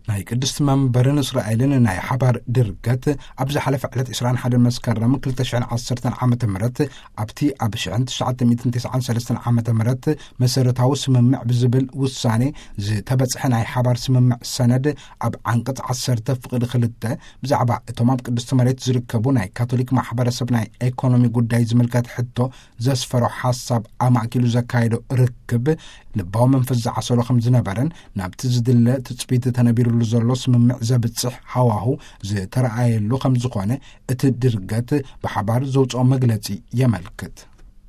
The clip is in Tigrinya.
ናይ ቅድስቲ መንበርን እስራኤልን ናይ ሓባር ድርገት፣ ኣብ ዝሓለፈ ዕለት ዕስራን ሓደን መስከረም ክልተ ሽሕን ዓሰርተን ዓመተ ምህረት፣ ኣብቲ ኣብ ሽሕን ትሽዓተ ሚእትን ተስዓን ሰለስተን ዓመተ ምህረት መሰረታዊ ስምምዕ ብዝብል ውሳኔ ዝተበጽሐ ናይ ሓባር ስምምዕ ሰነድ፣ ኣብ ዓንቀጽ ዓሰርተ ፍቕዲ ክልተ፣ ብዛዕባ እቶም ኣብ ቅድስቲ መሬት ዝርከቡ ናይ ካቶሊክ ማሕበረሰብ ናይ ኤኮኖሚ ጉዳይ ዝምልከት ሕቶ ዘስፈሮ ሓሳብ ኣማእኪሉ ዘካየዶ ርክብ፣ ልባዊ መንፈስ ዝዓሰሎ ከም ዝነበረን፣ ናብቲ ዝድለ ትጽቢት ተነቢሩሉ ዘሎ ስምምዕ ዘብጽሕ ሃዋሁ ዝተረኣየሉ ከም ዝኾነ እቲ ድርገት ብሓባር ዘውፅኦ መግለጺ የመልክት።